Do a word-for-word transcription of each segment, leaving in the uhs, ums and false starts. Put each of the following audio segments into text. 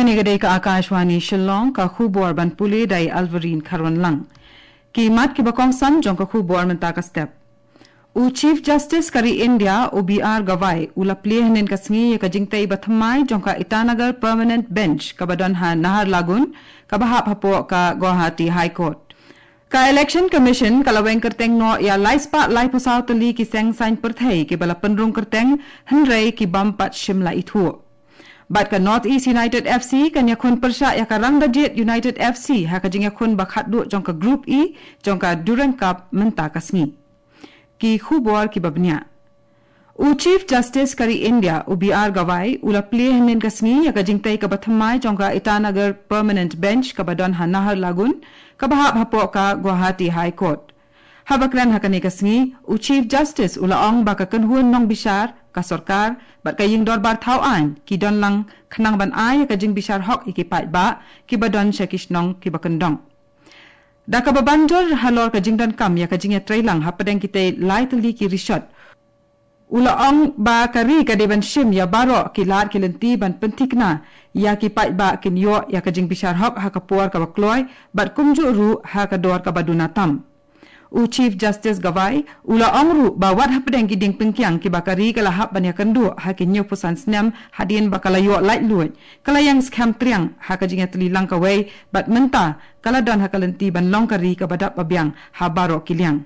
Ka dei ka Akashvani Shillong, ka khubor ban pule da i Alvarine Kharwanlang. Ki mat kiba kongsan jong ka khubor mynta ka step. U Chief Justice ka ri India, u B R Gavai, u la plie hynnin ka sngi ïa ka jingtei ba thymmai jong ka Itanagar Permanent Bench kaba don ha Naharlagun, kaba hap hapoh ka Guwahati High Court. Ka Election Commission ka la weng kyrteng noh ïa lai spah laiphew saw tylli ki seng saiñ pyrthei kiba la pynrung kyrteng, hynrei ki bym pat shim la ithuh. Bad ka North East United F C kan ïakhun pyrshah ïa ka Rangdajied United F C ha ka jingïakhun ba khatduh jong ka Group E jong ka Durand Cup mynta ka sngi. Ki khubor kiba bniah. U Chief Justice ka ri India, u B R Gavai, u la plie hynnin ka sngi ïa ka jingtei kaba thymmai jong ka Itanagar Permanent Bench kaba don ha Naharlagun, kaba hap hapoh ka Guwahati High Court. Haba kren ha kane ka sngi, u Chief Justice u la ong ba ka kynhun nongbishar, ka sorkar, bad ka ïing dorbar thaw aiñ, ki don lang khnang ban ai ïa ka jingbishar hok ïa ki paidbah, kiba don sha ki shnong kiba kyndong. Da kaba ban jur halor ka jingdonkam ïa ka jingïatreilang hapdeng kitei lai tylli ki rishot, u la ong ba ka ri ka dei ban shim ïa baroh ki lad ki lynti ban pynthikna ïa ki paidbah kin ïoh ïa ka jingbishar hok ha ka por kaba kloi, bad kumjuh ruh ha ka dor kaba duna tam. U Chief Justice Gavai u la ong ruh ba wat hapdeng ki diengpyngkiang kiba ka ri ka la hap ban ïakynduh ha ki hynñiewphew san snem hadien ba ka la ïoh laitluid, ka la ïeng skhem triang ha ka jingïatylli lang kawei, bad mynta ka la don ha ka lynti ban long ka ri kaba dap ba biang ha baroh ki liang.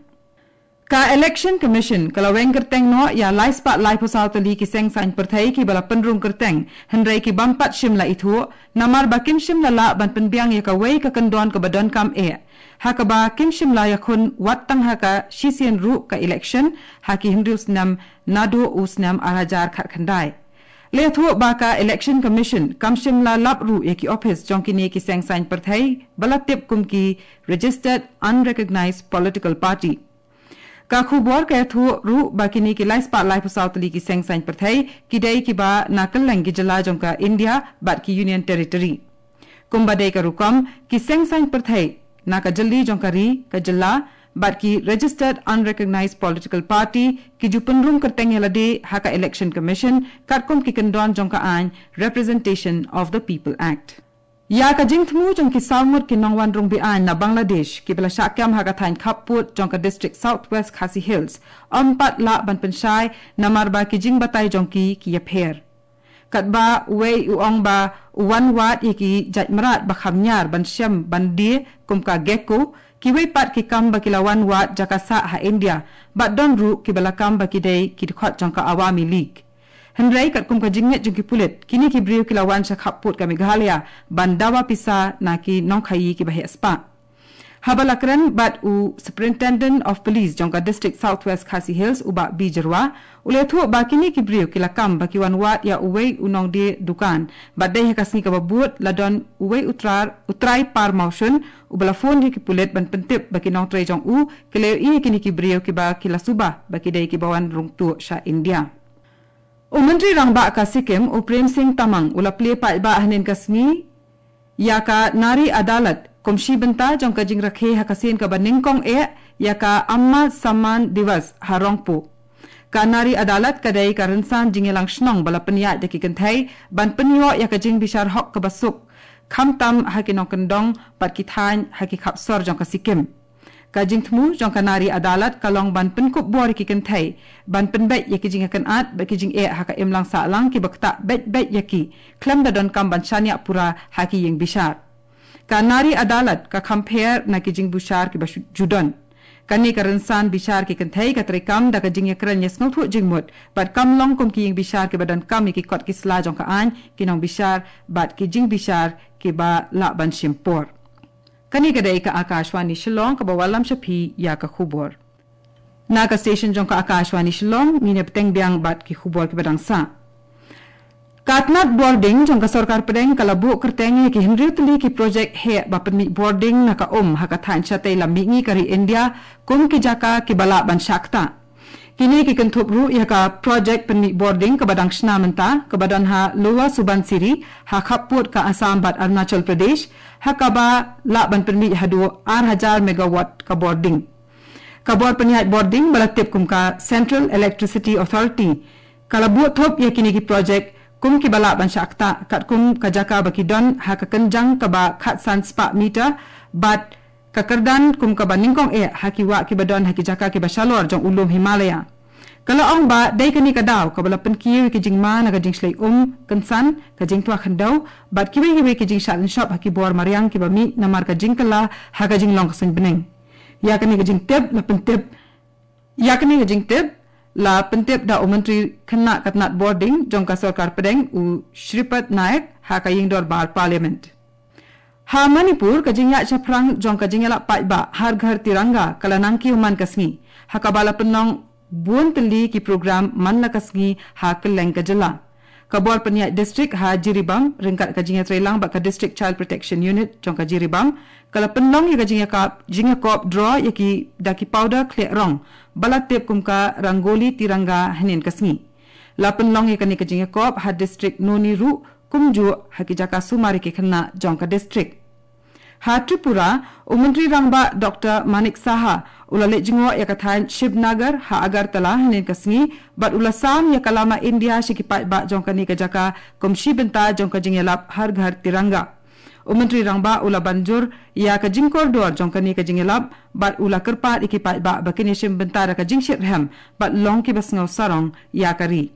Ka Election Commission ka la weng kyrteng noh ïa lai spah laiphew saw tylli ki seng saiñ pyrthei kiba la pynrung kyrteng, hynrei ki bym pat shim la ithuh, namar ba kim shym la lah ban pynbiang ïa kawei ka kyndon kaba donkam eh. Ha kaba kim shym la ïakhun wat tang ha ka shisien ruh ka election, ha ki hynriew snem naduh u snem ar hajar khatkhyndai. La ïathuh ba ka Election Commission kam shym la lap ruh ïa ki ophis jong kine ki seng saiñ pyrthei ba la tip kum ki Registered Unrecognized Political Party. Ka khubor ka ïathuh ruh ba kine ki lai spah laiphew saw tylli ki seng saiñ pyrthei ki dei kiba na kylleng ki jylla jong ka India bad ki Union Territory. Kumba dei ka rukom, ki seng saiñ pyrthei na ka jylli jong ka ri, ka jylla, bad ki Registered Unrecognized Political Party ki ju pynrung kyrteng ïa lade ha ka Election Commission, katkum ki kyndon jong ka aiñ Representation of the People Act. Ïa ka jingthmu jong ki saw ngut ki nongwan rung be-aiñ na Bangladesh kiba la shah kem ha ka thaiñ khappud jong ka district South West Khasi Hills, ym pat lah ban pynshai namar ba ki jingbatai jong ki ki ïapher. Katba uwei u ong ba u wan wad ïa ki jait mrad ba kham ñiar ban shem ban die kum ka gecko, kiwei pat ki kam ba ki la wan wad jaka sah ha India, bad don ruh kiba la kam ba ki dei ki dkhot jong ka Awami League. Hynrei katkum ka jingngeit jong ki pulit, kine ki briew ki la wan sha khappud ka Meghalaya ban dawa pisa na ki nongkhaïi kiba heh spah. Haba la kren bad u Superintendent of Police jong ka District South West Khasi Hills, u Bah B Jyrwa, u la ïathuh ba kine ki briew ki la kam ba ki wan wad ïa uwei u nongdie dukan, bad dei ha ka sngi kaba bud la don uwei u trai, u trai par mawshun, uba la phone ïa ki pulit ban pyntip ba ki nongtrei jong u ki la ïohi ïa kine ki briew kiba ki la suba ba ki dei kiba wan rung tuh sha India. U Myntri Rangbah ka Sikkim, u Prem Singh Tamang, u la plie paidbah hynnin ka sngi ïa ka Nari Adalat kum shi bynta jong ka jingrakhe ha ka sien kaba nyngkong eh ïa ka Amma Samman Diwas ha Rongpo. Ka Nari Adalat ka dei ka rynsan jingïalang shnong ba la pynïaid da ki kynthei ban pynïoh ïa ka jingbishar hok kaba suk, khamtam ha ki nongkyndong bad ki thaiñ ha ki khap sor jong ka Sikkim. Ka jingthmu jong ka Nari Adalat ka long ban pynkup bor ïa ki kynthei ban pynbeit ïa ki jingïakynad bad ki jingeh ha ka imlang sahlang kiba ktah beit beit ïa ki, khlem da donkam ban shaniah pura ha ki ïing bishar. Ka Nari Adalat ka kham pher na ki jingbishar kiba shu-, ju don. Kane ka rynsan bishar ki kynthei ka treikam da ka jingïakren ïasngewthuh jingmut, bad kam long kum ki ïing bishar kiba donkam ïa ki kot ki sla jong ka aiñ, ki nongbishar bad ki jingbishar kiba lah ban shim por. Kane ka dei ka Akashvani Shillong kaba wallam sha phi ïa ka khubor. Na ka station jong ka Akashvani Shillong, ngin ïa bteng biang bad ki khubor kiba dang sah. Ka tnat bording jong ka sorkar pdeng ka la buh kyrteng ïa ki hynriew tylli ki projek heh ba pynmih bording na ka um ha ka thaiñ shatei lam mihngi ka ri India kum ki jaka kiba lah ban shah ktah. Kine ki kynthup ruh ïa ka projek pynmih bording kaba dang shna mynta, kaba don ha Lower Subansiri, ha khappud ka Assam bad Arunachal Pradesh, ha kaba lah ban pynmih haduh ar hajar megawatt ka bording. Ka bor pynïaid bording ba la tip kum ka Central Electricity Authority ka la buh thup ïa kine ki projek kum kiba lah ban shah ktah, katkum ka jaka ba ki don ha ka kynjang kaba khatsan spah meter, bad ka kyrdan kum kaba nyngkong eh ha ki wah kiba don ha ki jaka kiba shalor jong u lum Himalaya. Ka la ong ba dei kane ka daw kaba la pynkiew ïa ki jingma na ka jingshlei um, kynsan, ka jingtwa khyndew, bad kiwei kiwei ki jingshah lynshop ha ki bor mariang kiba mih namar ka jingkylla ha ka jinglong ka suiñ bneng. Ïa kane ka jingtip la pyntip, ïa kane ka jingtip la pyntip da u Myntri Khynnah ka tnat bording jong ka sorkar pdeng, u Shripad Naik, ha ka ïing dorbar Parliament. Ha Manipur, ka jingïaid shaphrang jong ka jingïalap paidbah Har Ghar Tiranga ka la nang kiew man ka sngi, ha kaba la pynlong bun tylli ki program man la ka sngi ha kylleng ka jylla. Ka bor pynïaid district ha Jiribam ryngkat ka jingïatreilang bad ka District Child Protection Unit jong ka Jiribam ka la pynlong ïa ka jingïakop, jingïakop draw ïa ki da ki powder khlieh rong ba la tip kum ka Rangoli Tiranga hynnin ka sngi. La pynlong ïa kane ka jingïakop ha district Noni ruh, kumjuh ha ki jaka sumar ïa ki khynnah jong ka district. Ha Tripura, u Myntri Rangbah Doctor Manik Saha u la leit jngoh ïa ka thaiñ Shivnagar ha Agartala hynnin ka sngi, bad u la sam ïa ka lama India sha ki paidbah jong kane ka jaka kum shi bynta jong ka jingïalap Har Ghar Tiranga. U Myntri Rangbah u la ban jur ïa ka jingkordor jong kane ka jingïalap, bad u la kyrpad ïa ki paidbah ba kin ïashim bynta da ka jingshitrhem bad long kiba sngew sarong ïa ka ri.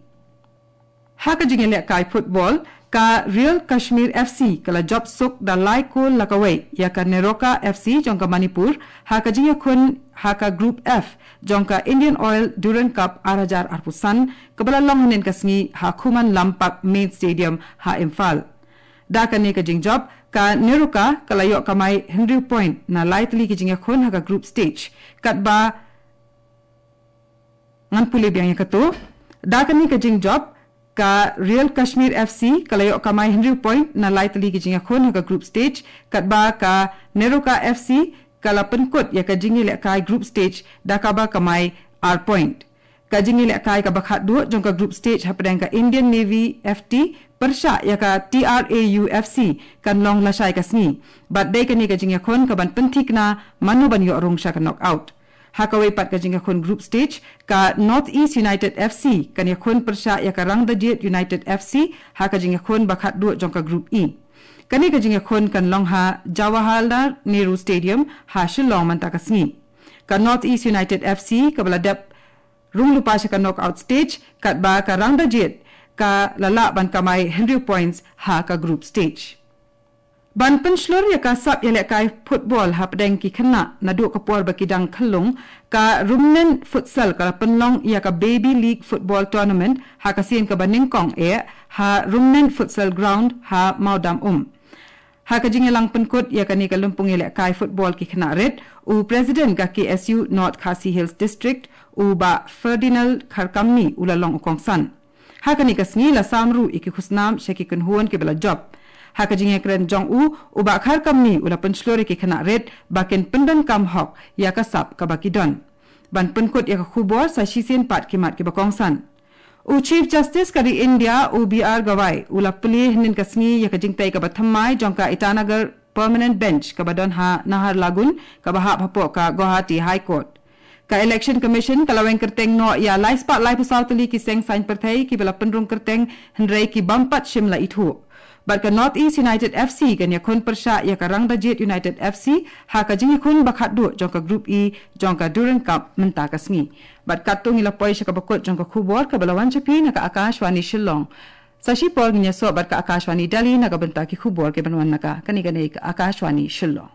Ha ka jingïalehkai football, ka Real Kashmir F C ka la jop suk da lai kol la kawei ïa ka Neroka F C jong ka Manipur ha ka jingïakhun ha ka Group F jong ka Indian Oil Durand Cup ar hajar arphew san, kaba la long hynnin ka sngi ha Khuman Lampak Main Stadium ha Imphal. Da kane ka jingjop, ka Neroka ka la ïoh kamai hynriew point na lai tylli ki jingïakhun ha ka group stage, katba ngan pule biang ïa kato. Da kane ka jingjop, ka Real Kashmir F C ka la ïoh kamai hynriew point na lai tylli ki jingïakhun ha ka group stage, katba ka Neroka F C ka la pynkut ïa ka jingïalehkai group stage da kaba kamai ar point. Ka jingïalehkai kaba khatduh jong ka group stage hapdeng ka Indian Navy F T pyrshah ïa ka T R A U F C kan long lashai ka sngi, bad dei kane ka jingïakhun kaban pynthikna mano ban ïoh rung sha ka knockout. Ha kawei pat ka jingïakhun group stage, ka North East United F C kan ïakhun pyrshah ïa ka Rangdajied United F C ha ka jingïakhun ba khatduh jong ka Group E. Kane ka jingïakhun kan long ha Jawaharlal Nehru Stadium ha Shillong mynta ka sngi. Ka North East United F C kaba la dep rung lypa sha ka knockout stage, katba ka Rangdajied ka la lah ban kamai hynriew points ha ka group stage. Ban pynshlur ïa ka sap ïalehkai football hapdeng ki khynnah naduh ka por ba ki dang khyllung, ka Rumnen Futsal ka la pynlong ïa ka Baby League Football Tournament ha ka sien kaba nyngkong eh ha Rumnen Futsal Ground ha Mawadam Um. Ha ka jingïalang pynkut ïa kane ka lympung ïalehkai football ki khynnah rit, u President ka K S U North Khasi Hills District, u Bah Ferdinand Kharkamni u la long u kongsan. Ha kane ka sngi la sam ruh ïa ki khusnam sha ki kynhun kiba la jop. Ha ka jingïakren jong u, u Bah Kharkamni u la pynshlur ïa ki khynnah rit ba kin pyndonkam hok ïa ka sap kaba ki don. Ban pynkut ïa ka khubor sa shisien pat ki mat kiba kongsan. U Chief Justice ka ri India, u B R Gavai u la plie hynnin ka sngi ïa ka jingtei kaba thymmai jong ka Itanagar Permanent Bench kaba don ha Naharlagun, kaba hap hapoh ka Guwahati High Court. Ka Election Commission ka la weng kyrteng noh ïa lai spah laiphew saw tylli ki seng saiñ pyrthei kiba la pynrung kyrteng, hynrei ki bym pat shym la ithuh. Bad ka North East United F C kan ïakhun pyrshah ïa ka Rangdajied United F C ha ka jingïakhun ba khatduh jong ka Group E jong ka Durand Cup mynta ka sngi. Bad katto ngi la poi sha kaba kut jong ka khubor kaba la wan sha phi na ka Akashvani Shillong. Sa shipor ngin ïasoh bad ka Akashvani Delhi na ka bynta ki khubor kiban wan na ka kane kane ka Akashvani Shillong.